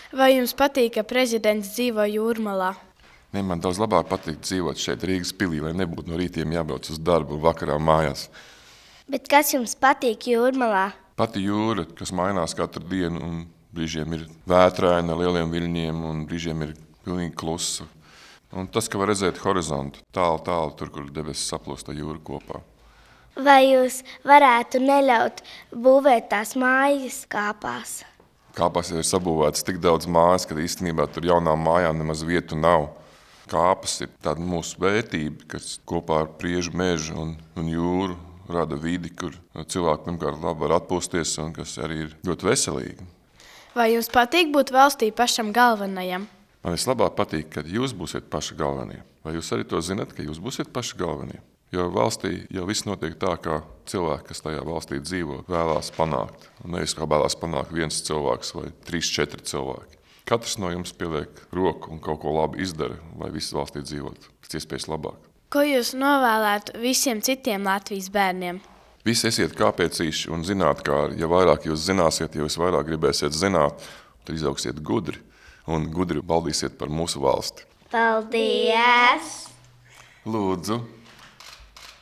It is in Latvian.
Vai jums patīk, ka prezidents dzīvo Jūrmalā? Ne, man daudz labāk patīk dzīvot šeit Rīgas pilī, lai nebūtu no rītiem jābrauc uz darbu un vakarā mājās. Bet kas jums patīk Jūrmalā? Pati jūra, kas mainās katru dienu, un brīžiem ir vētraina ar lieliem viļņiem, un brīžiem ir pilnīgi klusa. Un tas, ka var redzēt horizontu, tālu, tur, kur debesis saplūst ar jūru kopā. Vai jūs varētu neļaut būvēt tās mājas kāpās? Kāpās ir sabūvētas tik daudz mājas, ka īstenībā tur jaunām mājām nemaz vietu nav. Kāpas ir tāda mūsu vērtība, kas kopā ar priežu mežu un jūru rada vidi, kur cilvēki pirmkārt labi var atpūsties un kas arī ir ļoti veselīgi. Vai jums patīk būt valstī pašam galvenajam? Man vislabāk patīk, kad jūs būsiet paši galvenie. Vai jūs arī to zinat, ka jūs būsiet paši galvenie? Jo valstī jau viss notiek tā, kā cilvēki, kas tajā valstī dzīvo, vēlās panākt. Un nevis kā vēlās panākt viens cilvēks vai 3-4 cilvēki. Katrs no jums pieliek roku un kaut ko labi izdara, lai visi valstī dzīvotu pēc iespējas labāk. Ko jūs novēlētu visiem citiem Latvijas bērniem? Visi esiet kāpēcīši un zinātkāri. Ja vairāk jūs zināsiet, ja jūs vairāk gribēsiet zināt, tad izaugsiet gudri un gudri baldīsiet par mūsu valsti. Paldies! Lūdzu!